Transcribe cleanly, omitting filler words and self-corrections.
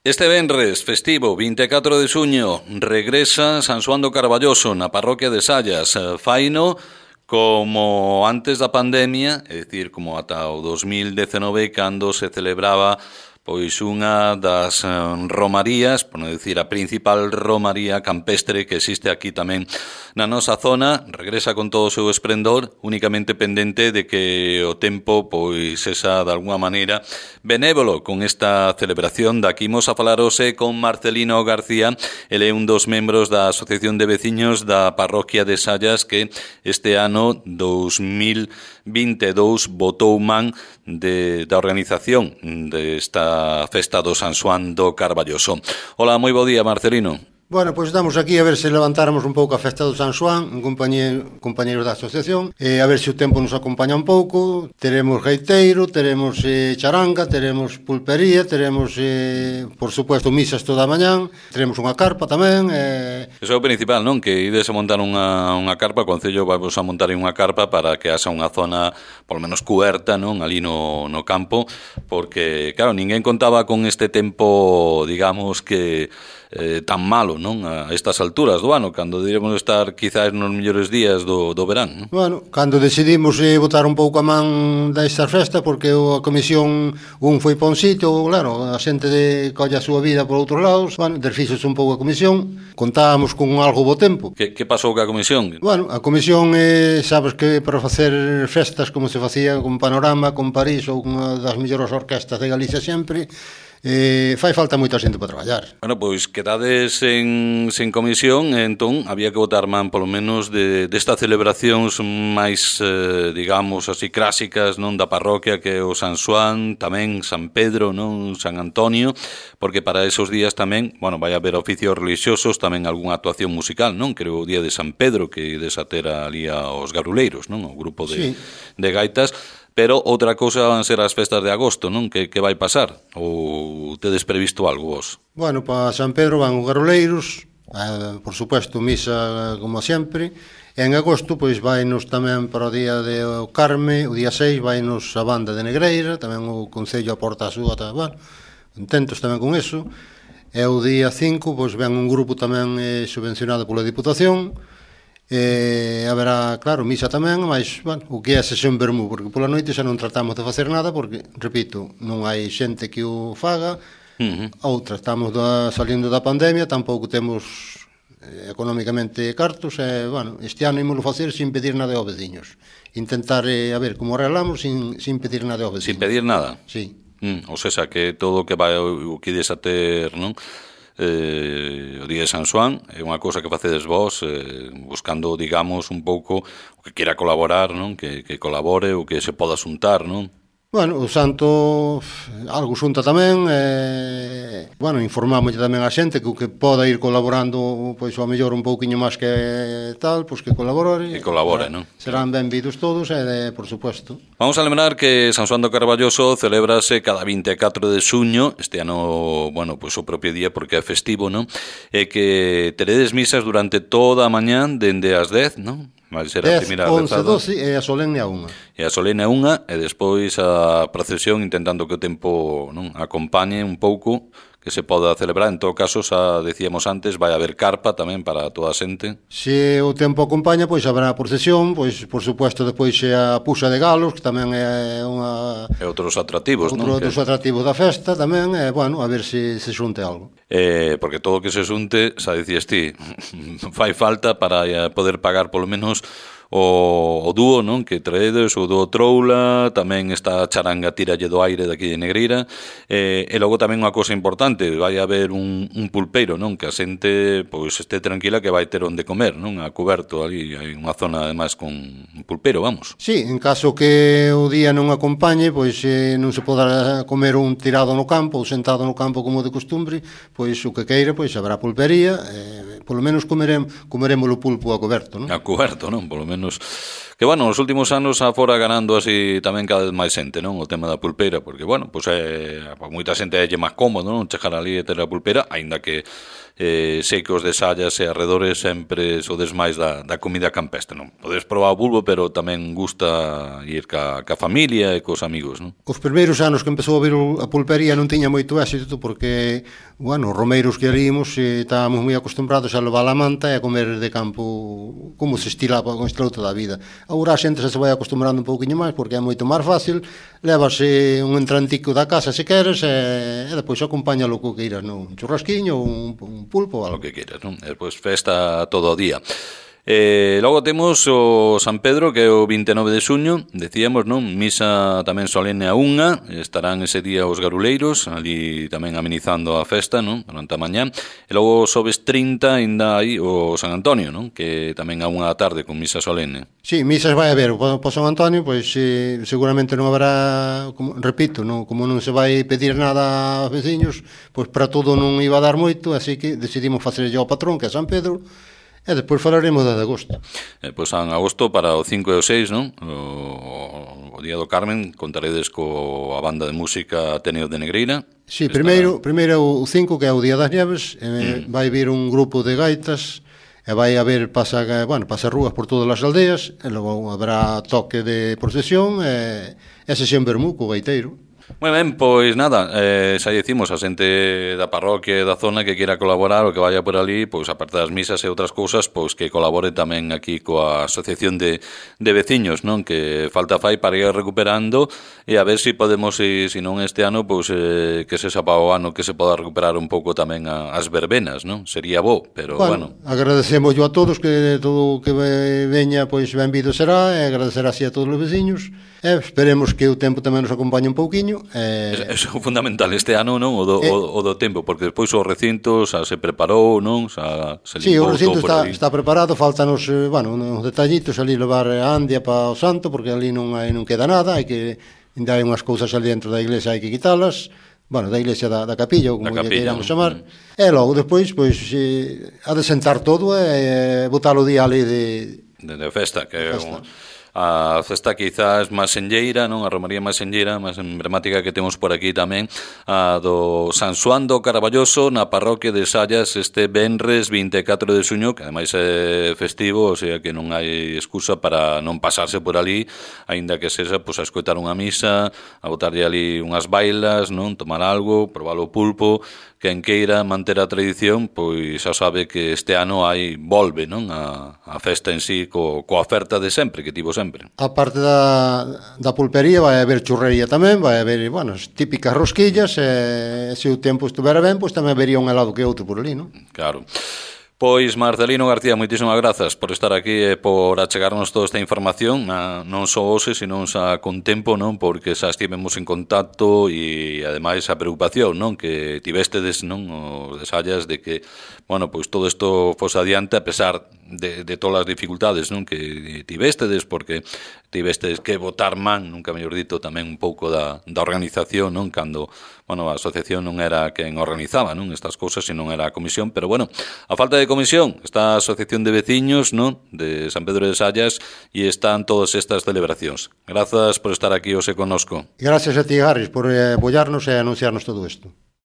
Este venres festivo, 24 de xuño, regresa San Xoán do Carballoso na parroquia de Sallas. Faino como antes da pandemia, é dicir, como ata o 2019, cando se celebraba pois unha das romarías, por non dicir a principal romaría campestre que existe aquí tamén na nosa zona. Regresa con todo o seu esplendor, únicamente pendente de que o tempo pois esa de alguma maneira benévolo con esta celebración. Daqui imos a falar hoxe con Marcelino García. Ele é un dos membros da Asociación de Veciños da parroquia de Sallas, que este ano 2022 botou man da organización desta festa do San Xoán do Carballoso. Hola, moi bo día, Marcelino. Bueno, pois estamos aquí a ver se levantáramos un pouco a festa do San Xoán en compañeros da asociación, a ver se o tempo nos acompaña un pouco. Teremos gaiteiro, teremos charanga, teremos pulpería, teremos, por supuesto, misas toda a mañán, teremos unha carpa tamén. Eso é o principal, non? Que ides a montar unha carpa, o Concello vai a montar unha carpa para que haxa unha zona, polo menos cuberta, non? Ali no campo, porque, claro, ninguén contaba con este tempo, digamos que tan malo, non? A estas alturas do ano, cando diremos estar quizás nos mellores días do verán, non? Bueno, cando decidimos botar un pouco a man desta festa, porque a comisión foi pa un sitio, claro, a xente colla a súa vida por outros lados, bueno, desfíxose un pouco a comisión, contábamos con algo bo tempo. Que pasou ca comisión? Bueno, a comisión, sabes que para facer festas como se facía con Panorama, con París ou unha das mellores orquestas de Galicia sempre, fai falta moita xente para traballar. Bueno, pois quedades sen comisión, entón había que botar man polo menos destas celebracións máis, digamos así, clásicas, non, da parroquia, que é o San Xoán, tamén San Pedro, non, San Antonio, porque para esos días tamén, bueno, vai haber oficios religiosos, tamén algunha actuación musical, non? Creo o día de San Pedro, que desater ali aos garuleiros, non? O grupo de gaitas. Pero outra cousa van ser as festas de agosto, non? Que vai pasar? Ou tedes previsto algo vos? Bueno, para San Pedro van os garoleiros, por supuesto, misa como sempre. En agosto, pois, vainos tamén para o día de o Carme, o día 6, vainos a banda de Negreira, tamén o Concello aporta a súa, bueno, contentos tamén con eso. E o día 5, pois, ven un grupo tamén subvencionado pola Diputación. Haberá, claro, misa tamén, mas, bueno, o que é sesión vermú, porque pola noite xa non tratamos de facer nada, porque, repito, non hai xente que o faga. Outra, estamos salindo da pandemia, tampouco temos económicamente cartos, bueno, este ano ímolo facer sin pedir nada aos veciños, intentar, a ver, como arreglamos sin pedir nada aos veciños. Sin pedir nada? Sí. O sea, que todo o que vai o que ides a ter, non? O día de San Xoán é unha cousa que facedes vos, buscando, digamos, un pouco o que queira colaborar, non? Que colabore ou que se poda xuntar, non? Bueno, o santo algo xunta tamén, bueno, informamos tamén a xente que o que poda ir colaborando, pois ao mellor un pouquiño máis que tal, pois que colabore. Que colabore, non? Serán benvidos todos, por suposto. Vamos a lembrar que San Xoán do Carballoso celebrase cada 24 de xuño, este ano, bueno, pois o propio día porque é festivo, non? E que teredes misas durante toda a mañán dende as 10, non? 10, 11, 12 e a solene a 1. E a solene a 1 e despois a procesión, intentando que o tempo, non, acompañe un pouco, que se poda celebrar. En todo caso, xa decíamos antes, vai haber carpa tamén para toda a xente. Se o tempo acompaña, pois habrá procesión, pois por supuesto depois a puxa de galos, que tamén é unha... E outros atractivos, non? Outros atractivos da festa tamén, bueno, a ver se xunte algo. Porque todo o que se xunte, xa dicías ti, fai falta para poder pagar polo menos o dúo, non, que traedes, o dúo Troula, tamén está a charanga Tiralle do Aire daqui de Negreira, e logo tamén unha cousa importante, vai haber un pulpeiro, non, que a xente pois este tranquila que vai ter onde comer, non, a cuberto ali, hai unha zona ademais con un pulpeiro, vamos. Sí, en caso que o día non acompañe, pois non se poda comer un tirado no campo ou sentado no campo como de costumbre, pois o que queira, pois habrá pulpería, polo menos comeremos o pulpo a coberto, non? A coberto, non? Polo menos... Que, bueno, nos últimos anos afora ganando así tamén cada vez máis xente, non? O tema da pulpeira, porque, bueno, pois moita xente é máis cómodo, non? Chegar ali e ter a pulpeira, aínda que sei que os de Sallas e arredores sempre sodes máis da comida campestre, non? Podes probar o bulbo, pero tamén gusta ir ca familia e cos amigos, non? Os primeiros anos que empezou a vir a pulpería non tiña moito éxito porque, bueno, os romeiros que alíamos estábamos moi acostumbrados a levar a manta e a comer de campo como se estilaba con estilo toda a vida. Agora a xente se vai acostumbrando un pouquinho máis porque é moito máis fácil, levase un entrantico da casa se queres e depois acompáñalo co que iras, non? Un churrasquiño ou un pulpo ou algo. O que queiras, non? E depois festa todo o día. Logo temos o San Pedro, que é o 29 de xuño, decíamos, non? Misa tamén solene a 1, estarán ese día os garuleiros ali tamén amenizando a festa, non? Durante a mañá. E logo sobes 30 ainda hai o San Antonio, non? Que tamén a 1 da tarde con misa solene. Sí, misas vai haber po San Antonio, pois seguramente non haberá, repito, non, como non se vai pedir nada aos veciños, pois para todo non iba a dar moito, así que decidimos facer ao patrón, que é San Pedro. E depois falaremos de agosto. Pois en agosto para o 5 e o 6, non? O Día do Carmen, contaredes coa banda de música Ateneo de Negreira. Sí, primeiro o 5, que é o Día das Nieves, vai vir un grupo de gaitas, e vai haber pasarrúas por todas as aldeas, e logo habrá toque de procesión, e sesión vermú co gaiteiro. Moi ben, pois nada, xa decimos a xente da parroquia e da zona que queira colaborar ou que vaya por ali, pois aparte das misas e outras cousas, pois que colabore tamén aquí coa asociación de veciños, non? Que falta fai para ir recuperando e a ver se podemos, se non este ano, pois que se para o ano que se poda recuperar un pouco tamén as verbenas, non? Sería bo, pero bueno. Agradecemos a todos que todo o que veña, pois benvido será, e agradecer así a todos os veciños, e esperemos que o tempo tamén nos acompañe un pouquiño. Eso é fundamental este ano, non? O do tempo, porque despois o recinto xa se preparou, non? Xa se limpou. Sí, o recinto está preparado, faltanos, uns detallitos ali levar a Andia para o Santo, porque ali non queda nada, ainda hai unhas cousas ali dentro da iglesia, hai que quitalas, da iglesia da capilla, ou como lle queiramos chamar, e logo despois, pois, ha de sentar todo e botar o día ali de festa, que é a festa quizás máis senlleira, non? A romaría máis senlleira, máis emblemática que temos por aquí tamén, a do San Xoán do Caraballoso na parroquia de Sallas este venres 24 de xuño, que ademais é festivo, o sea que non hai excusa para non pasarse por ali, aínda que sexa pois, a escoitar unha misa, a botarlle ali unhas bailas, non? Tomar algo, probar o pulpo. Quen queira manter a tradición, pois xa sabe que este ano volve, non? A festa en sí coa oferta de sempre, que tivo sempre. A parte da pulpería vai haber churrería tamén, vai haber, as típicas rosquillas, e se o tempo estuvera ben, pois tamén habería un helado que outro por ali, non? Claro. Pois Marcelino García, moitísimas grazas por estar aquí e por achegarnos toda esta información, non só hoxe, sino xa con tempo, non? Porque xa estivemos en contacto e ademais a preocupación, non? Que tivestedes, non? Os de Sallas de que, pois todo isto fose adiante a pesar de todas as dificultades, non? Que tivestedes, porque tivestedes que botar man, nunca mellor dito, tamén un pouco da organización, non? Cando, a asociación non era quen organizaba, non? Estas cousas, senón era a comisión, pero a falta de comisión está a asociación de veciños, non? De San Pedro de Sallas e están todas estas celebracións. Grazas por estar aquí hoxe connosco. Gracias a ti, Harris, por apoiarnos e anunciarnos todo isto.